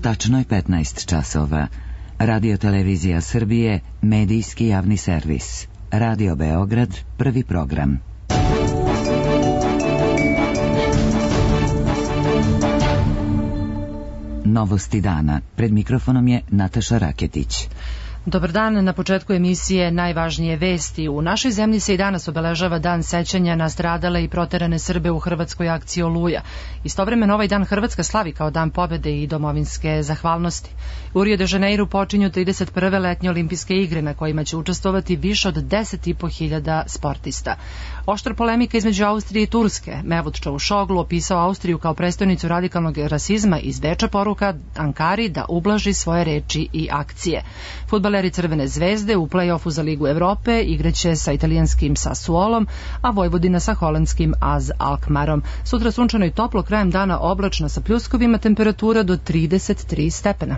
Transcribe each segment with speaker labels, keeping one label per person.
Speaker 1: Tačno je 15 časova. Radio-televizija Srbije, medijski javni servis. Radio Beograd, prvi program. Novosti dana. Pred mikrofonom je Nataša Raketić.
Speaker 2: Dobar dan, na početku emisije najvažnije vesti. U našoj zemlji se i danas obeležava dan sećanja na stradale i proterane Srbe u hrvatskoj akciji Oluja. Istovremeno ovaj dan Hrvatska slavi kao dan pobjede i domovinske zahvalnosti. U Rio de Janeiru počinju 31. letnje olimpijske igre na kojima će učestvovati više od 10.500 sportista. Oštra polemika između Austrije i Turske. Mevlut Čavuşoglu opisao Austriju kao prestonicu radikalnog rasizma iz Beča poruka Ankari da ublaži svoje reči i akcije. Fudbaleri Crvene zvezde u play-offu za Ligu Evrope igraće sa italijanskim Sassuolom, a Vojvodina sa holandskim AZ Alkmarom. Sutra sunčano i toplo, krajem dana oblačno sa pljuskovima, temperatura do 33 stepena.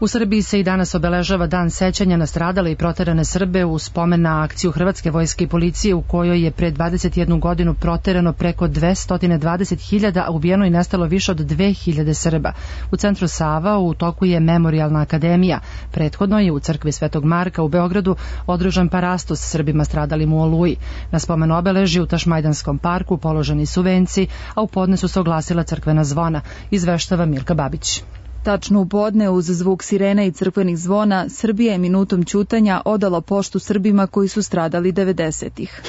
Speaker 2: U Srbiji se i danas obeležava dan sećanja na stradale i proterane Srbe u spomen na akciju Hrvatske vojske i policije u kojoj je pre 21 godinu proterano preko 220.000, a ubijeno i nestalo više od 2.000 Srba. U centru Sava u toku je Memorijalna akademija. Prethodno je u crkvi Svetog Marka u Beogradu održan parastos Srbima stradalim u Oluji. Na spomen obeležju u Tašmajdanskom parku položeni su venci, a u podne su se oglasila crkvena zvona, izveštava Milka Babić.
Speaker 3: Tačno u podne, uz zvuk sirene i crkvenih zvona, Srbija je minutom ćutanja odala poštu Srbima koji su stradali 90-ih.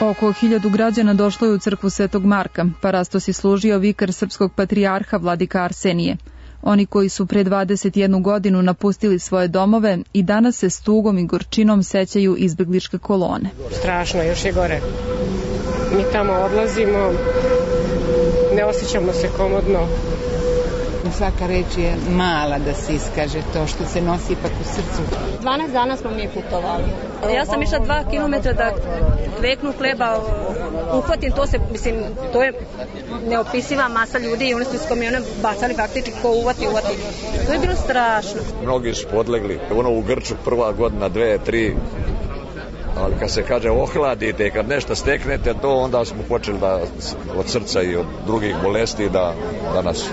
Speaker 3: Oko 1000 građana došlo je u crkvu Svetog Marka. Parastos je služio vikar srpskog patrijarha vladika Arsenije. Oni koji su pre 21 godinu napustili svoje domove i danas se s tugom i gorčinom sećaju izbegličke kolone.
Speaker 4: Strašno, još je gore. Mi tamo odlazimo, ne osjećamo se komodno.
Speaker 5: Svaka reč je mala da se iskaže to što se nosi ipak u srcu.
Speaker 6: 12 dana smo mi putovali. Ja sam išla 2 kilometra da kveknu hleba, uhvatim to se, mislim, to je neopisiva masa ljudi i oni su iz kamiona bacali faktički ko uvati. To je bilo strašno.
Speaker 7: Mnogi su podlegli, u Grču prva godina, 2, 3, ali kad se kaže ohladite, kad nešto steknete, to onda smo počeli da od srca i od drugih bolesti da nas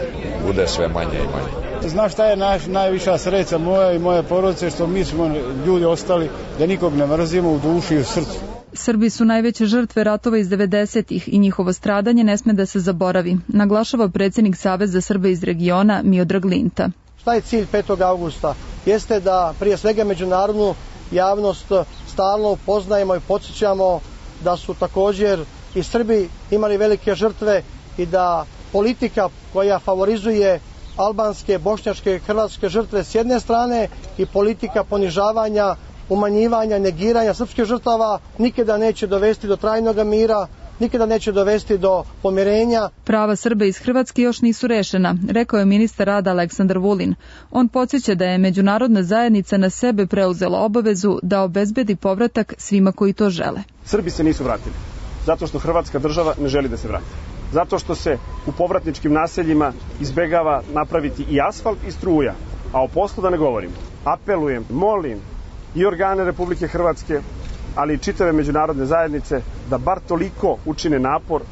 Speaker 7: bude sve manje i manje.
Speaker 8: Znaš šta je najviša sreća moja i moje porodice, što mi smo ljudi ostali da nikog ne mrzimo u duši i u srcu.
Speaker 3: Srbi su najveće žrtve ratova iz 90-ih i njihovo stradanje ne sme da se zaboravi, naglašava predsjednik Saveza Srba iz regiona Miodrag Linta.
Speaker 9: Šta je cilj 5. augusta? Jeste da prije svega međunarodnu javnost stalno upoznajemo i podsjećamo da su također i Srbi imali velike žrtve i da politika koja favorizuje albanske, bošnjačke, hrvatske žrtve s jedne strane i politika ponižavanja, umanjivanja, negiranja srpskih žrtava nikada neće dovesti do trajnog mira, nikada neće dovesti do pomirenja.
Speaker 3: Prava Srba iz Hrvatske još nisu rešena, rekao je ministar rada Aleksandar Vulin. On podsjeća da je međunarodna zajednica na sebe preuzela obavezu da obezbedi povratak svima koji to žele.
Speaker 10: Srbi se nisu vratili, zato što Hrvatska država ne želi da se vrati. Zato što se u povratničkim naseljima izbegava napraviti i asfalt i struja, a o poslu da ne govorim. Apelujem, molim i organe Republike Hrvatske, ali i čitave međunarodne zajednice da bar toliko učine napor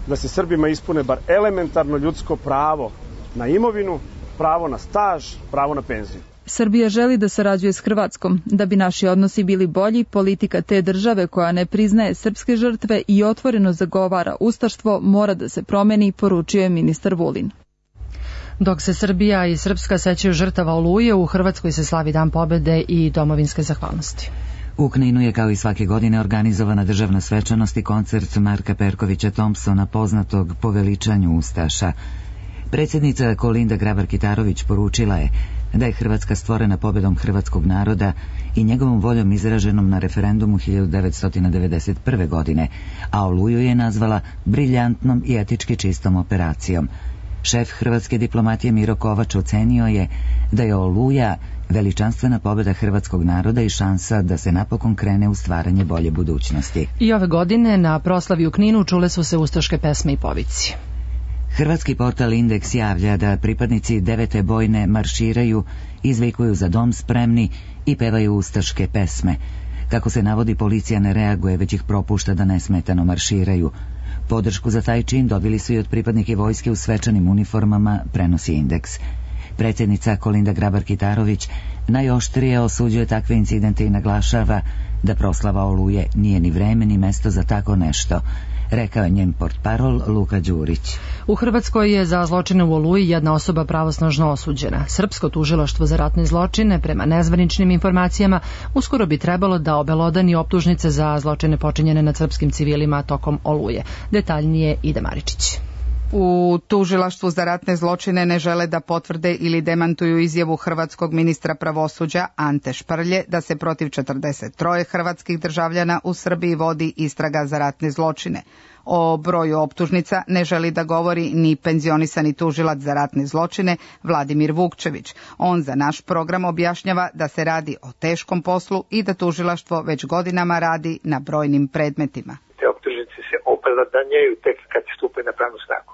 Speaker 10: da se Srbima ispune bar elementarno ljudsko pravo na imovinu, pravo na staž, pravo na penziju.
Speaker 3: Srbija želi da sarađuje s Hrvatskom. Da bi naši odnosi bili bolji, politika te države koja ne priznaje srpske žrtve i otvoreno zagovara ustaštvo mora da se promeni, poručio je ministar Vulin.
Speaker 2: Dok se Srbija i Srpska sećaju žrtava Oluje, u Hrvatskoj se slavi dan pobjede i domovinske zahvalnosti.
Speaker 1: U Kninu je kao i svake godine organizovana državna svečanost i koncert Marka Perkovića Thompsona, poznatog po veličanju ustaša. Predsjednica Kolinda Grabar-Kitarović poručila je da je Hrvatska stvorena pobjedom hrvatskog naroda i njegovom voljom izraženom na referendumu 1991. godine, a Oluju je nazvala briljantnom i etički čistom operacijom. Šef hrvatske diplomatije Miro Kovač ocenio je da je Oluja veličanstvena pobjeda hrvatskog naroda i šansa da se napokon krene u stvaranje bolje budućnosti.
Speaker 2: I ove godine na proslavi u Kninu čule su se ustaške pesme i povici.
Speaker 1: Hrvatski portal Indeks javlja da pripadnici 9. bojne marširaju, izvikuju za dom spremni i pevaju ustaške pesme. Kako se navodi, policija ne reaguje, već ih propušta da nesmetano marširaju. Podršku za taj čin dobili su i od pripadnike vojske u svečanim uniformama, prenosi Indeks. Predsjednica Kolinda Grabar-Kitarović najoštrije osuđuje takve incidente i naglašava da proslava Oluje nije ni vreme ni mesto za tako nešto, rekao je njen portparol Luka Đurić.
Speaker 2: U Hrvatskoj je za zločine u Oluji jedna osoba pravosnažno osuđena. Srpsko tužilaštvo za ratne zločine, prema nezvaničnim informacijama, uskoro bi trebalo da obelodani optužnice za zločine počinjene nad srpskim civilima tokom Oluje. Detaljnije Ida Maričić.
Speaker 5: U tužilaštvu za ratne zločine ne žele da potvrde ili demantuju izjavu hrvatskog ministra pravosuđa Ante Šprlje da se protiv 43 hrvatskih državljana u Srbiji vodi istraga za ratne zločine. O broju optužnica ne želi da govori ni penzionisani tužilac za ratne zločine Vladimir Vukčević. On za naš program objašnjava da se radi o teškom poslu i da tužilaštvo već godinama radi na brojnim predmetima.
Speaker 11: Te optužnice se opravdanjaju tek kad stupe na pravnu snagu.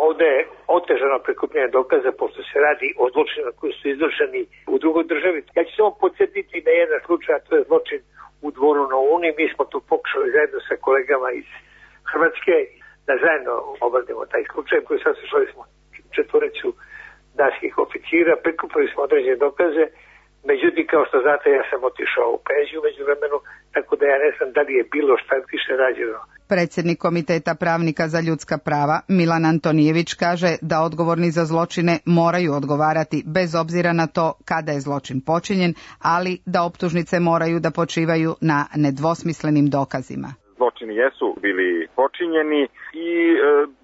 Speaker 11: Ovde je otežano prikupljanje dokaza pošto se radi o zločinima koji su izvršeni u drugoj državi. Ja ću samo podsjetiti na jedan slučaj, a to je zločin u Dvoru na Uni. Mi smo tu pokušali zajedno sa kolegama iz Hrvatske da zajedno obradimo taj slučaj koji saslušali smo 4 danskih oficira, prikupili smo određene dokaze. Međutim, kao što znate, ja sam otišao u penziju među vremenu, tako da ja ne znam da li je bilo šta više rađeno.
Speaker 5: Predsjednik Komiteta pravnika za ljudska prava Milan Antonijević kaže da odgovorni za zločine moraju odgovarati bez obzira na to kada je zločin počinjen, ali da optužnice moraju da počivaju na nedvosmislenim dokazima.
Speaker 12: Zločini jesu bili počinjeni i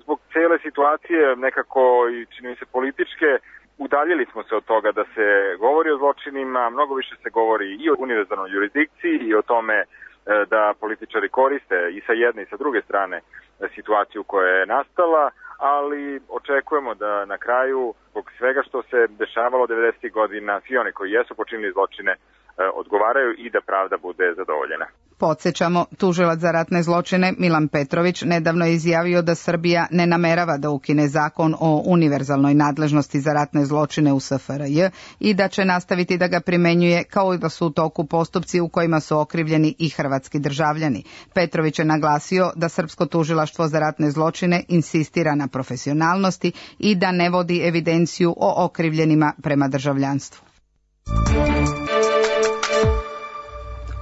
Speaker 12: zbog cijele situacije nekako i čini mi se političke udaljili smo se od toga da se govori o zločinima, mnogo više se govori i o univerzalnoj jurisdikciji i o tome da političari koriste i sa jedne i sa druge strane situaciju koja je nastala, ali očekujemo da na kraju, zbog svega što se dešavalo 90. godina, svi oni koji jesu počinili zločine odgovaraju i da pravda bude zadovoljena.
Speaker 5: Podsjećamo, tužilac za ratne zločine Milan Petrović nedavno je izjavio da Srbija ne namerava da ukine zakon o univerzalnoj nadležnosti za ratne zločine u SFRJ i da će nastaviti da ga primenjuje kao i da su u toku postupci u kojima su okrivljeni i hrvatski državljani. Petrović je naglasio da Srpsko tužilaštvo za ratne zločine insistira na profesionalnosti i da ne vodi evidenciju o okrivljenima prema državljanstvu.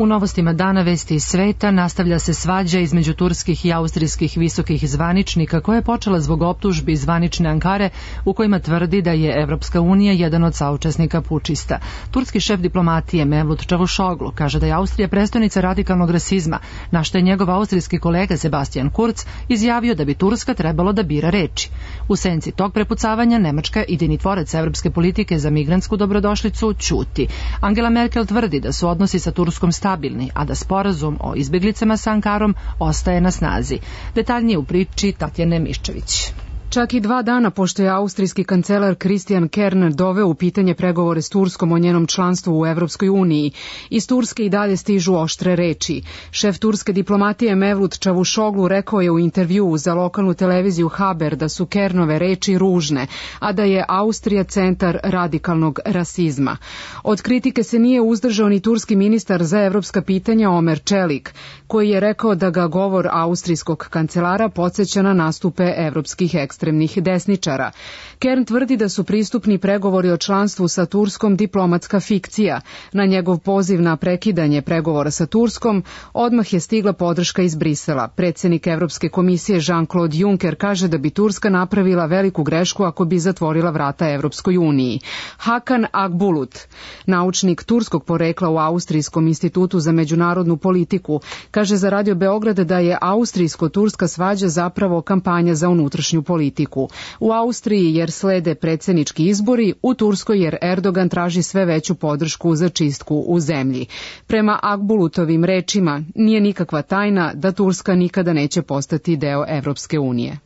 Speaker 2: U novostima dana vesti iz sveta nastavlja se svađa između turskih i austrijskih visokih zvaničnika koja je počela zbog optužbi zvanične Ankare u kojima tvrdi da je Evropska unija jedan od saučesnika pučista. Turski šef diplomatije Mevlut Čavuşoglu kaže da je Austrija prestonica radikalnog rasizma, na što je njegov austrijski kolega Sebastian Kurz izjavio da bi Turska trebalo da bira reči. U senci tog prepucavanja Nemačka, idejnitvorac evropske politike za migrantsku dobrodošlicu, ćuti. Angela Merkel tvrdi da su odnosi sa Turskom stabilni, a da sporazum o izbjeglicama sa Ankarom ostaje na snazi. Detaljnije u priči Tatjane Miščević.
Speaker 13: Čak i 2 dana pošto je austrijski kancelar Christian Kern doveo u pitanje pregovore s Turskom o njenom članstvu u Evropskoj uniji, iz Turske i dalje stižu oštre reči. Šef turske diplomatije Mevlut Čavuşoglu rekao je u intervjuu za lokalnu televiziju Haber da su Kernove reči ružne, a da je Austrija centar radikalnog rasizma. Od kritike se nije uzdržao ni turski ministar za evropska pitanja Omer Čelik, koji je rekao da ga govor austrijskog kancelara podsjeća na nastupe evropskih ekstremnih desničara. Kern tvrdi da su pristupni pregovori o članstvu sa Turskom diplomatska fikcija. Na njegov poziv na prekidanje pregovora sa Turskom odmah je stigla podrška iz Brisela. Predsjednik Evropske komisije Jean-Claude Juncker kaže da bi Turska napravila veliku grešku ako bi zatvorila vrata Evropskoj uniji. Hakan Akbulut, naučnik turskog porekla u Austrijskom institutu za međunarodnu politiku, kaže za Radio Beograd da je austrijsko-turska svađa zapravo kampanja za unutrašnju politiku. U Austriji jer slede predsjednički izbori, u Turskoj jer Erdogan traži sve veću podršku za čistku u zemlji. Prema Akbulutovim rečima, nije nikakva tajna da Turska nikada neće postati deo Evropske unije.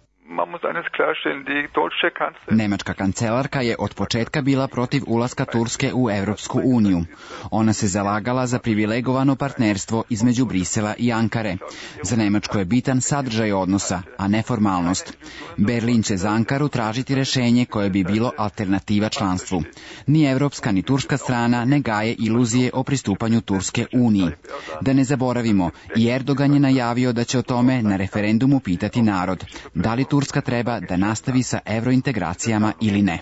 Speaker 14: Nemačka kancelarka je od početka bila protiv ulaska Turske u Evropsku uniju. Ona se zalagala za privilegovano partnerstvo između Brisela i Ankare. Za Nemačku je bitan sadržaj odnosa, a ne formalnost. Berlin će za Ankaru tražiti rešenje koje bi bilo alternativa članstvu. Ni evropska ni turska strana ne gaje iluzije o pristupanju Turske uniji. Da ne zaboravimo, i Erdogan je najavio da će o tome na referendumu pitati narod. Da li Turska treba da nastavi sa evrointegracijama ili ne?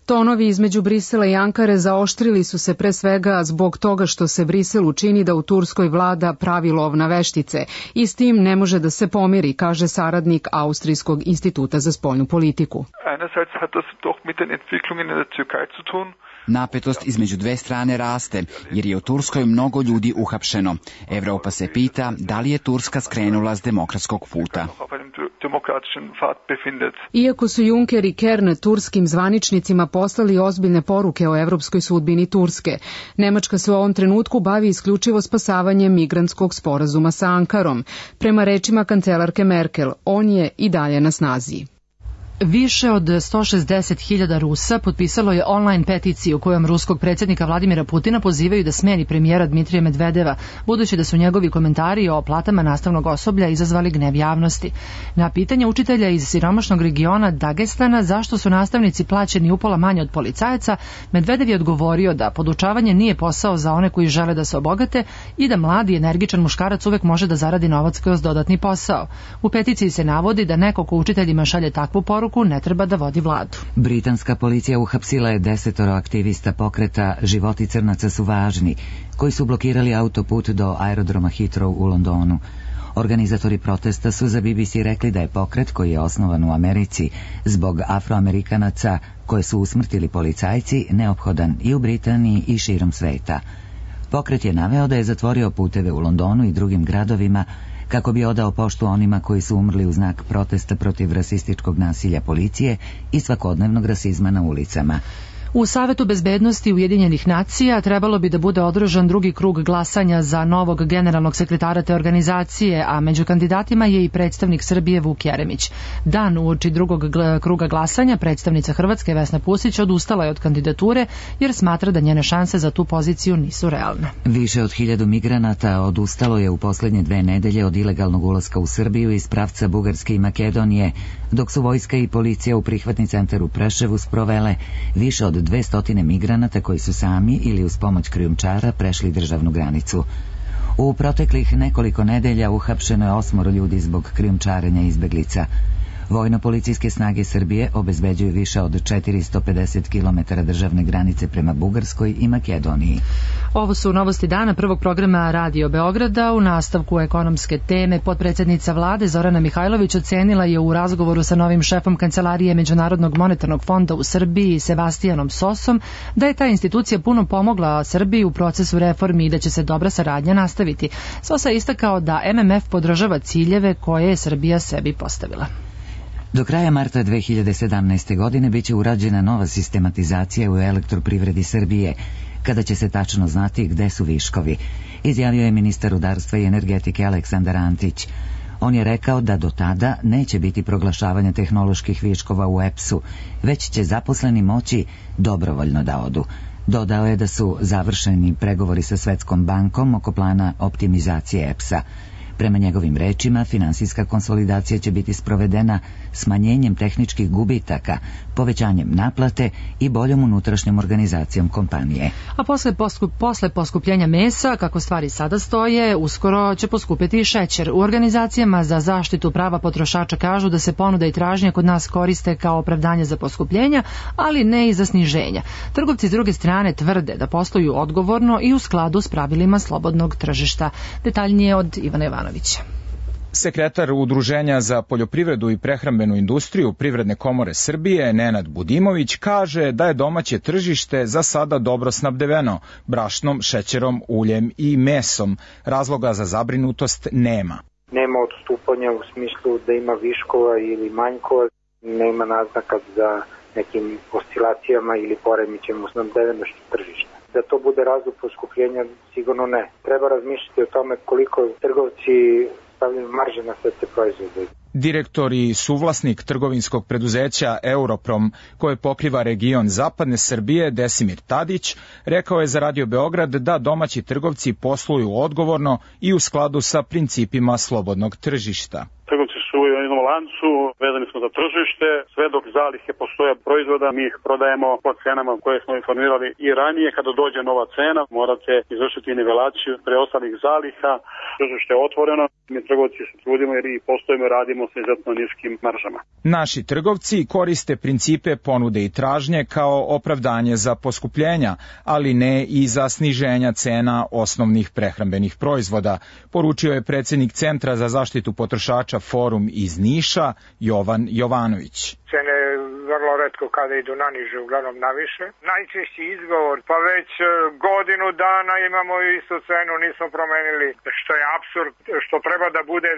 Speaker 13: Tonovi između Brisela i Ankare zaoštrili su se pre svega zbog toga što se Briselu čini da u Turskoj vlada pravi lov na veštice i s tim ne može da se pomiri, kaže saradnik Austrijskog instituta za spoljnu politiku.
Speaker 14: Napetost između dve strane raste, jer je u Turskoj mnogo ljudi uhapšeno. Evropa se pita da li je Turska skrenula s demokratskog puta.
Speaker 13: Iako su Juncker i Kern turskim zvaničnicima poslali ozbiljne poruke o evropskoj sudbini Turske, Nemačka se u ovom trenutku bavi isključivo spasavanjem migrantskog sporazuma sa Ankarom. Prema rečima kancelarke Merkel, on je i dalje na snazi.
Speaker 2: Više od 160.000 Rusa potpisalo je online peticiju kojom ruskog predsjednika Vladimira Putina pozivaju da smeni premijera Dmitrija Medvedeva, budući da su njegovi komentari o platama nastavnog osoblja izazvali gnev javnosti. Na pitanje učitelja iz siromašnog regiona Dagestana zašto su nastavnici plaćeni upola manje od policajaca, Medvedev je odgovorio da podučavanje nije posao za one koji žele da se obogate i da mladi energičan muškarac uvek može da zaradi novac kroz dodatni posao. U peticiji se navodi da neko ko učiteljima šalje takvu poruku ne treba da vodi vladu.
Speaker 1: Britanska policija uhapsila je 10 aktivista pokreta Životi crnaca su važni, koji su blokirali autoput do aerodroma Heathrow u Londonu. Organizatori protesta su za BBC rekli da je pokret, koji je osnovan u Americi zbog Afroamerikanaca koje su usmrtili policajci, neophodan i u Britaniji i širom sveta. Pokret je naveo da je zatvorio puteve u Londonu i drugim gradovima kako bi odao poštu onima koji su umrli u znak protesta protiv rasističkog nasilja policije i svakodnevnog rasizma na ulicama.
Speaker 2: U Savetu bezbednosti Ujedinjenih nacija trebalo bi da bude održan drugi krug glasanja za novog generalnog sekretara te organizacije, a među kandidatima je i predstavnik Srbije Vuk Jeremić. Dan uoči drugog kruga glasanja predstavnica Hrvatske Vesna Pusić odustala je od kandidature jer smatra da njene šanse za tu poziciju nisu realne.
Speaker 1: Više od 1000 migranata odustalo je u posljednje 2 nedelje od ilegalnog ulaska u Srbiju iz pravca Bugarske i Makedonije, dok su vojska i policija u prihvatni centar u Preševu sprovele više od 200 migranata koji su sami ili uz pomoć krijumčara prešli državnu granicu. U proteklih nekoliko nedelja uhapšeno je 8 ljudi zbog krijumčarenja izbeglica. Vojno-policijske snage Srbije obezbeđuju više od 450 km državne granice prema Bugarskoj i Makedoniji.
Speaker 2: Ovo su novosti dana prvog programa Radio Beograda. U nastavku ekonomske teme potpredsjednica vlade Zorana Mihajlović ocenila je u razgovoru sa novim šefom Kancelarije Međunarodnog monetarnog fonda u Srbiji Sebastianom Sosom da je ta institucija puno pomogla Srbiji u procesu reformi i da će se dobra saradnja nastaviti. Sosa je istakao da MMF podržava ciljeve koje je Srbija sebi postavila.
Speaker 1: Do kraja marta 2017. godine biće urađena nova sistematizacija u elektroprivredi Srbije, kada će se tačno znati gde su viškovi, izjavio je ministar rudarstva i energetike Aleksandar Antić. On je rekao da do tada neće biti proglašavanja tehnoloških viškova u EPS-u, već će zaposleni moći dobrovoljno da odu. Dodao je da su završeni pregovori sa Svetskom bankom oko plana optimizacije EPS-a. Prema njegovim rečima, finansijska konsolidacija će biti sprovedena smanjenjem tehničkih gubitaka, povećanjem naplate i boljom unutrašnjom organizacijom kompanije.
Speaker 2: A posle poskupljenja mesa, kako stvari sada stoje, uskoro će poskupiti i šećer. U organizacijama za zaštitu prava potrošača kažu da se ponuda i tražnja kod nas koriste kao opravdanje za poskupljenja, ali ne i za sniženja. Trgovci s druge strane tvrde da posluju odgovorno i u skladu s pravilima slobodnog tržišta. Detaljnije od Ivana Jovanovića.
Speaker 15: Sekretar Udruženja za poljoprivredu i prehrambenu industriju Privredne komore Srbije, Nenad Budimović, kaže da je domaće tržište za sada dobro snabdeveno brašnom, šećerom, uljem i mesom. Razloga za zabrinutost nema.
Speaker 16: Nema odstupanja u smislu da ima viškova ili manjkova, nema naznaka za nekim oscilacijama ili poremećajem u snabdevenošću tržišta. Da to bude razlog poskupljenja, sigurno ne. Treba razmišljati o tome koliko trgovci stavljaju marže na sve te proizvode.
Speaker 15: Direktor i suvlasnik trgovinskog preduzeća Europrom, koje pokriva region Zapadne Srbije, Desimir Tadić, rekao je za Radio Beograd da domaći trgovci posluju odgovorno i u skladu sa principima slobodnog tržišta.
Speaker 10: Trgovci su u jednom lancu, vezani smo za tržište, sve dok zalihe postoje proizvoda, mi ih prodajemo po cenama koje smo informirali i ranije. Kada dođe nova cena, morate izvršiti nivelaciju preostalih zaliha, tržište je otvoreno, mi trgovci se trudimo jer i postojimo i radimo sa izuzetno niskim maržama.
Speaker 15: Naši trgovci koriste principe ponude i tražnje kao opravdanje za poskupljenja, ali ne i za sniženja cena osnovnih prehrambenih proizvoda, poručio je predsjednik Centra za zaštitu potrošača Forum iz Niša, Jovan Jovanović.
Speaker 17: Cene vrlo retko kada idu na niže, uglavnom na više. Najčešći izgovor, pa već godinu dana imamo istu cenu, nismo promenili, što je apsurd, što treba da bude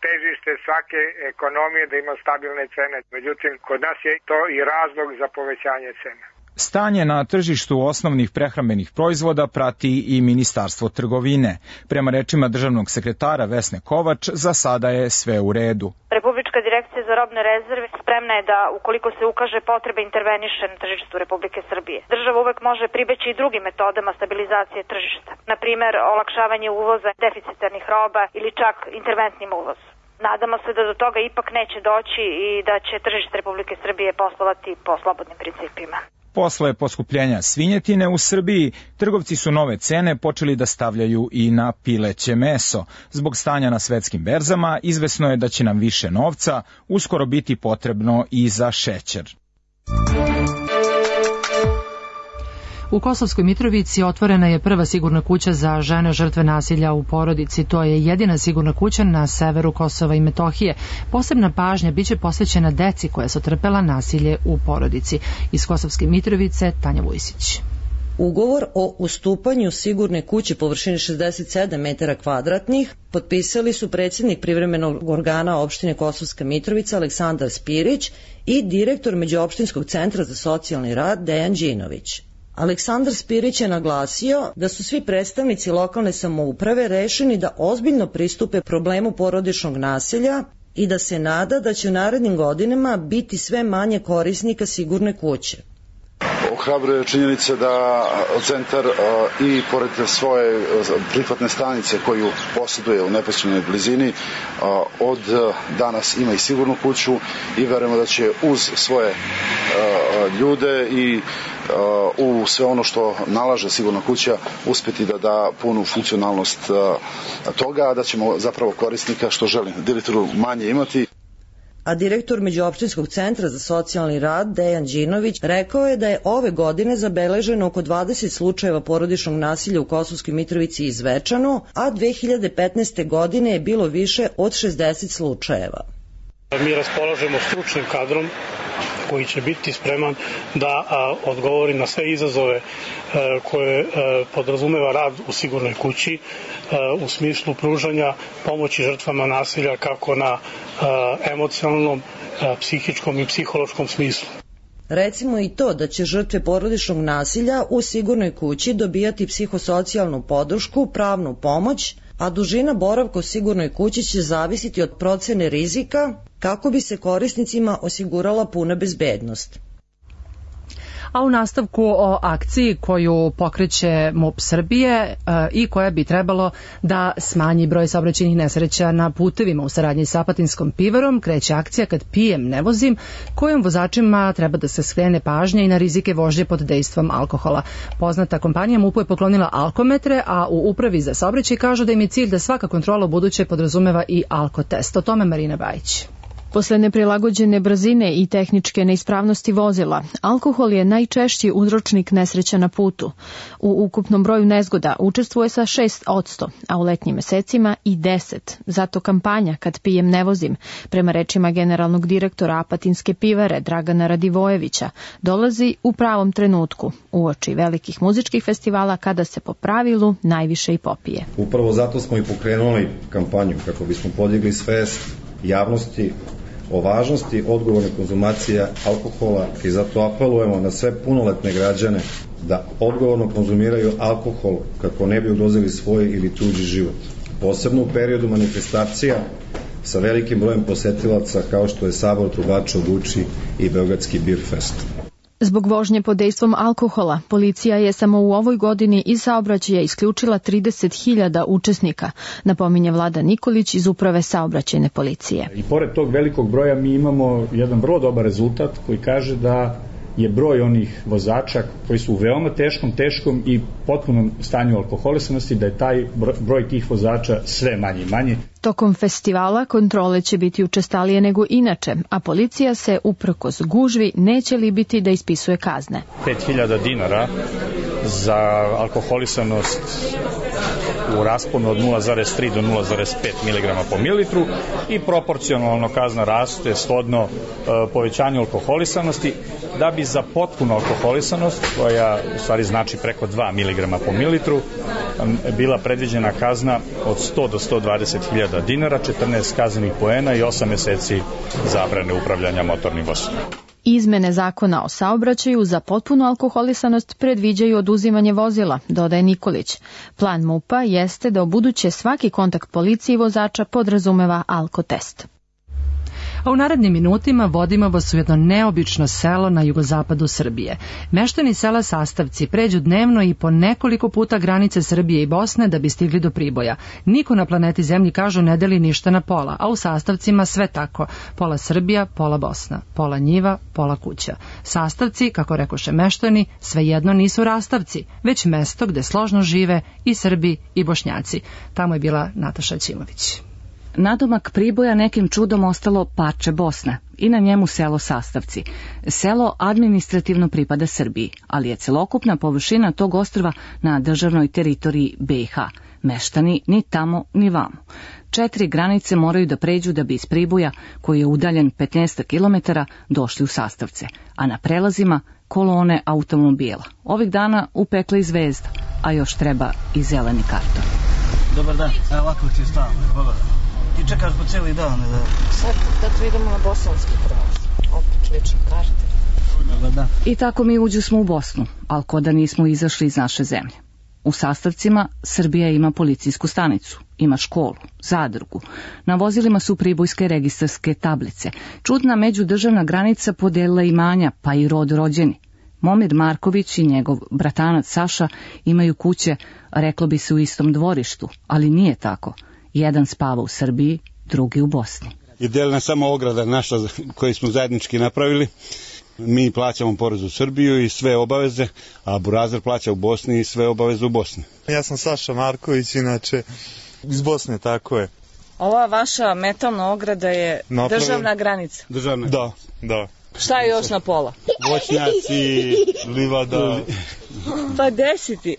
Speaker 17: težište svake ekonomije da ima stabilne cene. Međutim, kod nas je to i razlog za povećanje cene.
Speaker 15: Stanje na tržištu osnovnih prehrambenih proizvoda prati i Ministarstvo trgovine. Prema rečima državnog sekretara Vesne Kovač, za sada je sve u redu.
Speaker 18: Republička direkcija za robne rezerve spremna je da, ukoliko se ukaže potreba, interveniše na tržištu Republike Srbije. Država uvek može pribeći i drugim metodama stabilizacije tržišta. Na primer, olakšavanje uvoza deficitarnih roba ili čak interventnim uvoz. Nadamo se da do toga ipak neće doći i da će tržište Republike Srbije poslovati po slobodnim principima.
Speaker 15: Posle poskupljenja svinjetine u Srbiji, trgovci su nove cene počeli da stavljaju i na pileće meso. Zbog stanja na svetskim berzama, izvesno je da će nam više novca uskoro biti potrebno i za šećer.
Speaker 2: U Kosovskoj Mitrovici otvorena je prva sigurna kuća za žene žrtve nasilja u porodici. To je jedina sigurna kuća na severu Kosova i Metohije. Posebna pažnja biće posvećena deci koja su trpela nasilje u porodici. Iz Kosovske Mitrovice, Tanja Vujsić.
Speaker 19: Ugovor o ustupanju sigurne kuće površine 67 metara kvadratnih potpisali su predsjednik privremenog organa opštine Kosovska Mitrovica Aleksandar Spirić i direktor Međuopštinskog centra za socijalni rad Dejan Đinović. Aleksandar Spirić je naglasio da su svi predstavnici lokalne samouprave rešeni da ozbiljno pristupe problemu porodičnog nasilja i da se nada da će u narednim godinama biti sve manje korisnika sigurne kuće.
Speaker 20: Ohrabruje činjenica da centar i pored svoje prihvatne stanice koju posjeduje u neposrednoj blizini od danas ima i sigurnu kuću i verujemo da će uz svoje ljude i u sve ono što nalaže sigurna kuća uspjeti da da punu funkcionalnost toga, da ćemo zapravo korisnika što želi direktoru manje imati.
Speaker 19: A direktor Međuopštinskog centra za socijalni rad Dejan Đinović rekao je da je ove godine zabeleženo oko 20 slučajeva porodičnog nasilja u Kosovskoj Mitrovici i Zvečanu, a 2015. godine je bilo više od 60 slučajeva.
Speaker 21: Mi raspolažemo stručnim kadrom koji će biti spreman da odgovori na sve izazove koje podrazumeva rad u sigurnoj kući u smislu pružanja pomoći žrtvama nasilja kako na emocionalnom, psihičkom i psihološkom smislu.
Speaker 19: Recimo i to da će žrtve porodičnog nasilja u sigurnoj kući dobijati psihosocijalnu podršku, pravnu pomoć, a dužina boravka u sigurnoj kući će zavisiti od procene rizika kako bi se korisnicima osigurala puna bezbednost.
Speaker 2: A u nastavku o akciji koju pokreće MUP Srbije i koja bi trebalo da smanji broj saobraćajnih nesreća na putevima u saradnji sa Apatinskom pivarom, kreće akcija Kad pijem ne vozim, kojom vozačima treba da se skrene pažnja i na rizike vožnje pod dejstvom alkohola. Poznata kompanija MUP-u je poklonila alkometre, a u Upravi za saobraćaj kažu da im je cilj da svaka kontrola buduće podrazumeva i alkotest. O tome Marina Bajić.
Speaker 3: Posle neprilagođene brzine i tehničke neispravnosti vozila, alkohol je najčešći uzročnik nesreća na putu. U ukupnom broju nezgoda učestvuje sa 6%, a u letnjim mesecima i 10%. Zato kampanja Kad pijem ne vozim, prema rečima generalnog direktora Apatinske pivare Dragana Radivojevića, dolazi u pravom trenutku, uoči velikih muzičkih festivala kada se po pravilu najviše i popije.
Speaker 22: Upravo zato smo i pokrenuli kampanju kako bismo podigli svest javnosti o važnosti odgovorne konzumacije alkohola i zato apelujemo na sve punoletne građane da odgovorno konzumiraju alkohol kako ne bi ugrozili svoj ili tuđi život. posebno u periodu manifestacija sa velikim brojem posetilaca kao što je Sabor trubača u Guči i Beogradski Beerfest.
Speaker 3: Zbog vožnje pod dejstvom alkohola, policija je samo u ovoj godini iz saobraćaja isključila 30.000 učesnika, napominje Vlada Nikolić iz Uprave saobraćajne policije.
Speaker 4: I pored tog velikog broja mi imamo jedan vrlo dobar rezultat koji kaže da je broj onih vozača koji su u veoma teškom i potpunom stanju alkoholisanosti, da je taj broj tih vozača sve manji i manji.
Speaker 3: Tokom festivala kontrole će biti učestalije nego inače, a policija se uprkos gužvi neće libiti da ispisuje kazne.
Speaker 4: 5.000 dinara za alkoholisanost u rasponu od 0,3 do 0,5 mg po mililitru i proporcionalno kazna raste shodno povećanju alkoholisanosti, da bi za potpunu alkoholisanost, koja u stvari znači preko 2 mg po mililitru, bila predviđena kazna od 100 do 120.000 dinara, 14 kaznenih poena i 8 meseci zabrane upravljanja motornim vozilom.
Speaker 3: Izmene zakona o saobraćaju za potpunu alkoholisanost predviđaju oduzimanje vozila, dodaje Nikolić. Plan MUP-a jeste da ubuduće svaki kontakt policije i vozača podrazumeva alkotest.
Speaker 2: A u narednim minutima vodimo vas u jedno neobično selo na jugozapadu Srbije. Meštani sela Sastavci pređu dnevno i po nekoliko puta granice Srbije i Bosne da bi stigli do Priboja. Niko na planeti Zemlji, kažu, ne deli ništa na pola, a u Sastavcima sve tako. Pola Srbija, pola Bosna, pola njiva, pola kuća. Sastavci, kako rekoše meštani, svejedno nisu rastavci, već mesto gde složno žive i Srbi i Bošnjaci. Tamo je bila Nataša Ćimović.
Speaker 6: Nadomak Priboja nekim čudom ostalo parče Bosne i na njemu selo Sastavci. Selo administrativno pripada Srbiji, ali je celokupna površina tog ostrva na državnoj teritoriji BiH. Meštani ni tamo ni vamo. 4 granice moraju da pređu da bi iz Priboja, koji je udaljen 15 km, došli u Sastavce, a na prelazima kolone automobila. Ovih dana upekla i zvezda, a još treba i zeleni karton.
Speaker 23: Dobar dan, evo ovako ti je stavno, pogledaj. Ti čekaš po cijeli dan.
Speaker 24: Sad kad idemo na bosanski prelaz, opet lične karte.
Speaker 6: I tako mi uđusmo u Bosnu, ali ko da nismo izašli iz naše zemlje. U Sastavcima Srbija ima policijsku stanicu, ima školu, zadrugu. Na vozilima su pribojske registarske tablice. Čudna međudržavna granica podelila imanja, pa i rod rođeni. Momir Marković i njegov bratanac Saša imaju kuće, reklo bi se, u istom dvorištu, ali nije tako. Jedan spava u Srbiji, drugi u Bosni.
Speaker 25: Je delna samo ograda naša koju smo zajednički napravili. Mi plaćamo porez u Srbiju i sve obaveze, a Burazir plaća u Bosni i sve obaveze u Bosni.
Speaker 26: Ja sam Saša Marković, inače iz Bosne, tako je.
Speaker 24: Ova vaša metalna ograda je državna granica?
Speaker 25: Državna.
Speaker 26: Da.
Speaker 24: Šta je još na pola?
Speaker 26: Voćnjaci, livada.
Speaker 24: Pa desi ti.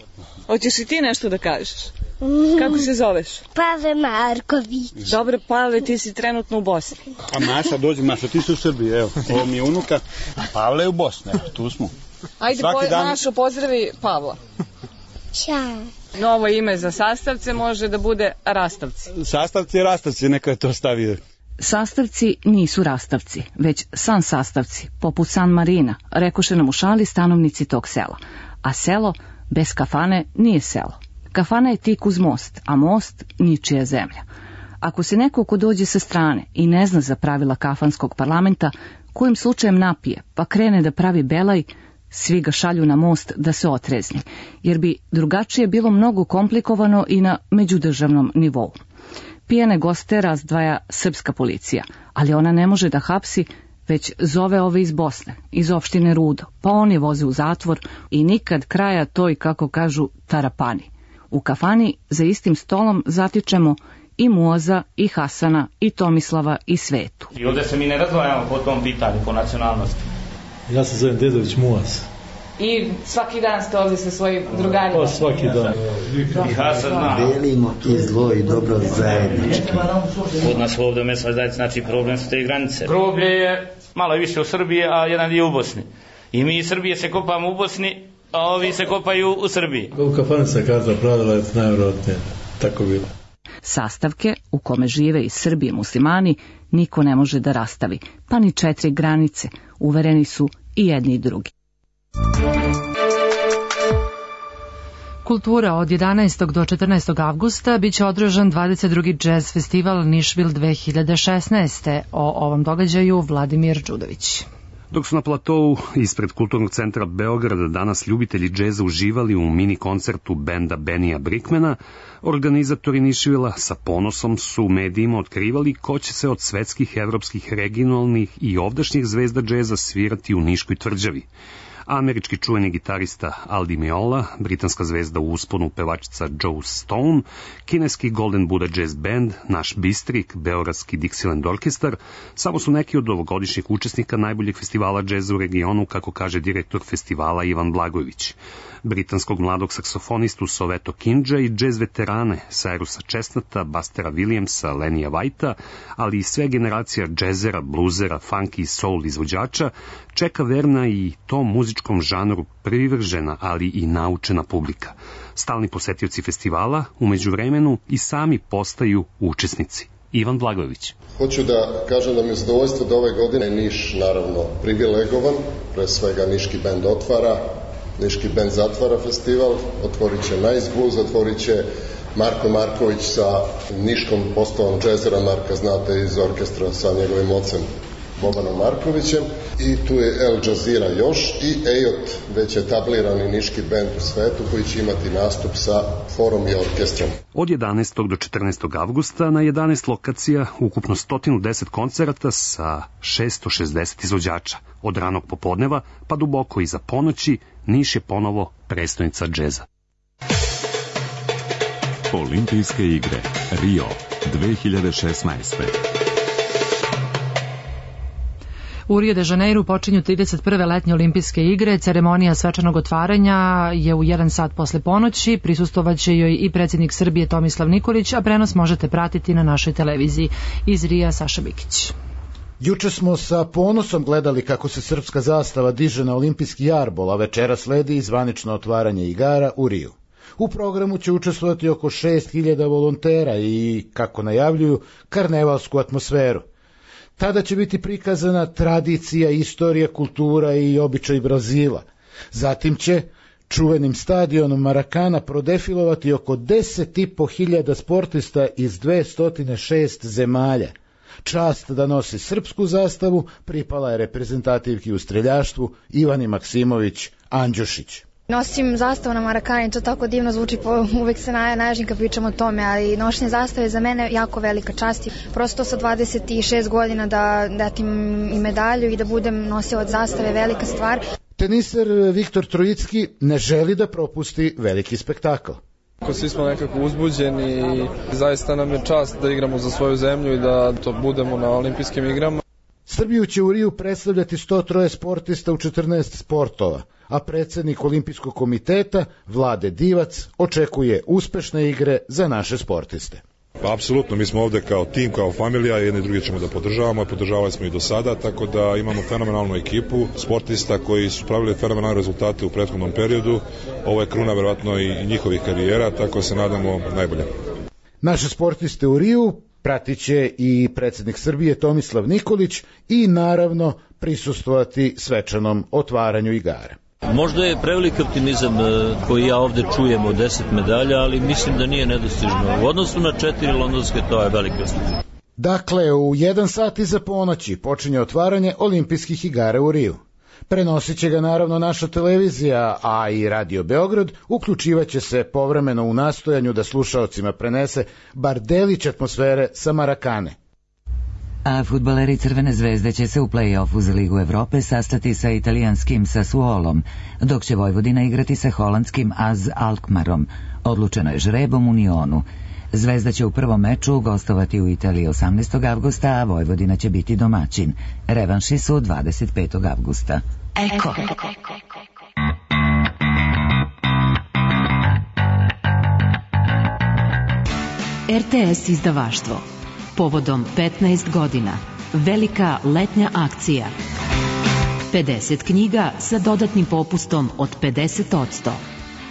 Speaker 24: Hoćeš i ti nešto da kažeš? Kako se zoveš?
Speaker 27: Pavle Marković.
Speaker 24: Dobro, Pavle, ti si trenutno u Bosni.
Speaker 25: A Maša, dođi, Maša, ti si u Srbiji, evo. Ovo mi je unuka, a Pavle je u Bosni, evo, tu smo.
Speaker 24: Ajde, Mašo, pozdravi Pavla.
Speaker 27: Ćao.
Speaker 24: Novo ime za Sastavce može da bude Rastavci.
Speaker 25: Sastavci i Rastavci, neka je to stavio.
Speaker 6: Sastavci nisu rastavci, već San Sastavci, poput San Marina, rekoše nam u šali stanovnici tog sela. A selo bez kafane nije selo. Kafana je tik uz most, a most ničija zemlja. Ako se neko ko dođe sa strane i ne zna za pravila kafanskog parlamenta, kojim slučajem napije, pa krene da pravi belaj, svi ga šalju na most da se otrezni, jer bi drugačije bilo mnogo komplikovano i na međudržavnom nivou. Pijane goste razdvaja srpska policija, ali ona ne može da hapsi, već zove ove iz Bosne, iz opštine Rudo, pa oni voze u zatvor i nikad kraja toj, kako kažu, tarapani. U kafani za istim stolom zatičemo i Muaza, i Hasana, i Tomislava, i Svetu.
Speaker 28: I ovdje se mi ne razdvajamo po tom pitanju, po nacionalnosti.
Speaker 29: Ja se zovem Dedović Muaz.
Speaker 24: I svaki dan ste ovdje sa svojim drugarima?
Speaker 29: Pa svaki dan.
Speaker 28: I Hasan zna.
Speaker 30: Delimo i zlo i dobro zajednički.
Speaker 28: Kod nas ovdje mesna zajednica, znači problem su te granice. Groblje je malo više u Srbiji, a jedan je u Bosni. I mi iz Srbije se kopamo u Bosni, a ovi se kopaju u Srbiji.
Speaker 29: U kafani se kaza pravila je najvjerojatnije tako bilo.
Speaker 6: Sastavke u kome žive i Srbi i muslimani niko ne može da rastavi, pa ni 4 granice, uvereni su i jedni i drugi.
Speaker 2: Kultura od 11. do 14. avgusta biće održan 22. jazz festival Nišvil 2016. O ovom događaju Vladimir Đudović.
Speaker 1: Dok su na platovu ispred Kulturnog centra Beograda danas ljubitelji džeza uživali u mini koncertu benda Benija Brickmana, organizatori Nišvila sa ponosom su u medijima otkrivali ko će se od svetskih, evropskih, regionalnih i ovdašnjih zvezda džeza svirati u Niškoj tvrđavi. Američki čuveni gitarista Aldi Meola, britanska zvezda u usponu pevačica Joe Stone, kineski Golden Buddha Jazz Band, naš Bistrik, beogradski Dixieland Orkestar, samo su neki od ovogodišnjih učesnika najboljeg festivala džeza u regionu, kako kaže direktor festivala Ivan Blagojević. Britanskog mladog saksofonistu Soveto Kinja i džez veterane Cyrusa Chestnuta, Bustera Williamsa, Lenija Whitea, ali i sve generacija džezera, bluzera, funky i soul izvođača, čeka verna i tom muzičkom žanru privržena, ali i naučena publika. Stalni posetioci festivala u međuvremenu i sami postaju učesnici. Ivan Blagojević.
Speaker 5: Hoću da kažem da mi je zadovoljstvo da ove godine Niš naravno privilegovan, pre svega Niški bend otvara, Niški bend zatvara festival, otvorit će Nice Blues, otvorit će Marko Marković sa niškom postavom džezera, Marka znate iz orkestra sa njegovim ocem Bobanom Markovićem, i tu je El Jazeera još i Ejot, već etablirani niški bend u svetu koji će imati nastup sa forom i orkestrom.
Speaker 1: Od 11. do 14. avgusta na 11 lokacija, ukupno 110 koncerata sa 660 izvođača. Od ranog popodneva pa duboko iza ponoći, Niš je ponovo prestonica džeza.
Speaker 7: Olimpijske igre Rio 2016.
Speaker 2: U Rio de Janeiru počinju 31. letnje olimpijske igre. Ceremonija svečanog otvaranja je u 1 sat posle ponoći. Prisustvovaće joj i predsjednik Srbije Tomislav Nikolić, a prenos možete pratiti na našoj televiziji. Iz Rija Saša Bikić.
Speaker 8: Juče smo sa ponosom gledali kako se srpska zastava diže na olimpijski jarbol, a večera sledi i zvanično otvaranje igara u Riju. U programu će učestvovati oko 6000 volontera i, kako najavljuju, karnevalsku atmosferu. Tada će biti prikazana tradicija, istorija, kultura i običaj Brazila. Zatim će čuvenim stadionom Marakana prodefilovati oko 10.500 sportista iz 206 zemalja. Čast da nosi srpsku zastavu pripala je reprezentativki u streljaštvu Ivani Maksimović Andjušić.
Speaker 9: Nosim zastavu na Marakani, to tako divno zvuči, uvek se naježim kad pričam o tome, ali nošenje zastave je za mene jako velika čast. Prosto sa 26 godina da datim i medalju i da budem nosilac zastave, velika stvar.
Speaker 8: Teniser Viktor Trojicki ne želi da propusti veliki spektakl.
Speaker 11: Svi smo nekako uzbuđeni i zaista nam je čast da igramo za svoju zemlju i da to budemo na olimpijskim igrama.
Speaker 8: Srbiju će u Riju predstavljati 103 sportista u 14 sportova, a predsjednik Olimpijskog komiteta Vlade Divac očekuje uspešne igre za naše sportiste.
Speaker 12: Pa apsolutno, mi smo ovde kao tim, kao familija, jedni drugi ćemo da podržavamo, podržavali smo i do sada, tako da imamo fenomenalnu ekipu sportista koji su pravili fenomenalne rezultate u prethodnom periodu. Ovo je kruna verovatno i njihovih karijera, tako se nadamo najbolje.
Speaker 8: Naše sportiste u Riju pratit će i predsjednik Srbije Tomislav Nikolić i naravno prisustvovati svečanom otvaranju igara.
Speaker 13: Možda je prevelik optimizam koji ja ovde čujem od 10 medalja, ali mislim da nije nedostižno. U odnosu na 4 londonske, to je velik uspeh.
Speaker 8: Dakle, u 1 sat iza ponoći počinje otvaranje olimpijskih igara u Riju. Prenosit će ga naravno naša televizija, a i Radio Beograd uključivaće se povremeno u nastojanju da slušaocima prenese bar delić atmosfere sa Marakane.
Speaker 14: A fudbaleri Crvene zvezde će se u play-offu za Ligu Evrope sastati sa italijanskim Sassuolom, dok će Vojvodina igrati sa holandskim AZ Alkmarom. Odlučeno je žrebom u Nionu. Zvezda će u prvom meču gostovati u Italiji 18. avgusta, a Vojvodina će biti domaćin. Revanši su 25. avgusta. Eko.
Speaker 16: RTS izdavaštvo. Povodom 15 godina. Velika letnja akcija. 50 knjiga sa dodatnim popustom od 50%.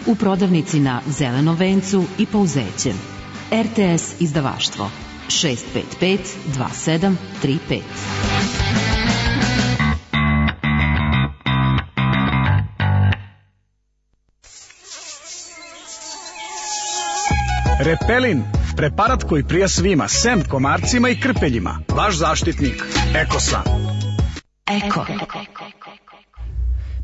Speaker 16: U prodavnici na Zelenom vencu i Pouzećem. RTS izdavaštvo 655 2735.
Speaker 3: Repelin, preparat koji prija svima, sem komarcima i krpeljima. Vaš zaštitnik, Ekosan.
Speaker 16: Eko.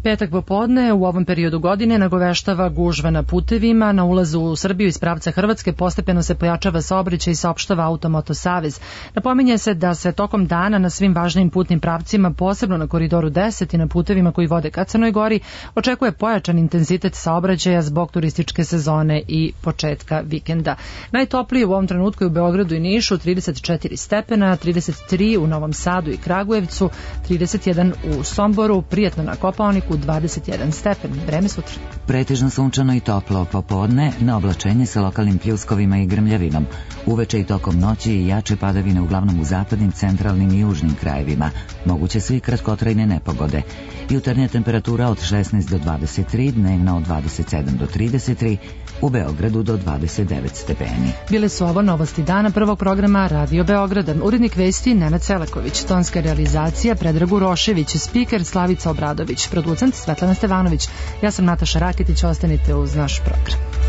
Speaker 2: Petak popodne u ovom periodu godine nagoveštava gužva na putevima. Na ulazu u Srbiju iz pravca Hrvatske postepeno se pojačava saobraćaj i saopštava Automoto savez. Napominje se da se tokom dana na svim važnim putnim pravcima, posebno na Koridoru 10 i na putevima koji vode ka Crnoj Gori, očekuje pojačan intenzitet saobraćaja zbog turističke sezone i početka vikenda. Najtoplije u ovom trenutku je u Beogradu i Nišu 34 stepena, 33 u Novom Sadu i Kragujevcu, 31 u Somboru, prijatno na Kopaoniku 21 stepen. Vreme sutra.
Speaker 14: Pretežno sunčano i toplo popodne, na oblačenje sa lokalnim pljuskovima i grmljavinom. Uveče i tokom noći i jače padavine uglavnom u zapadnim, centralnim i južnim krajevima. Moguće su i kratkotrajne nepogode. Jutarnja temperatura od 16 do 23, dnevna od 27 do 33, u Beogradu do 29 stepeni.
Speaker 2: Bile su ovo novosti dana prvog programa Radio Beograda. Urednik vesti Nenad Selaković, tonska realizacija Predrag Urošević, spiker Slavica Obradović, producent Svetlana Stevanović. Ja sam Nataša Raketić, ostanite uz naš program.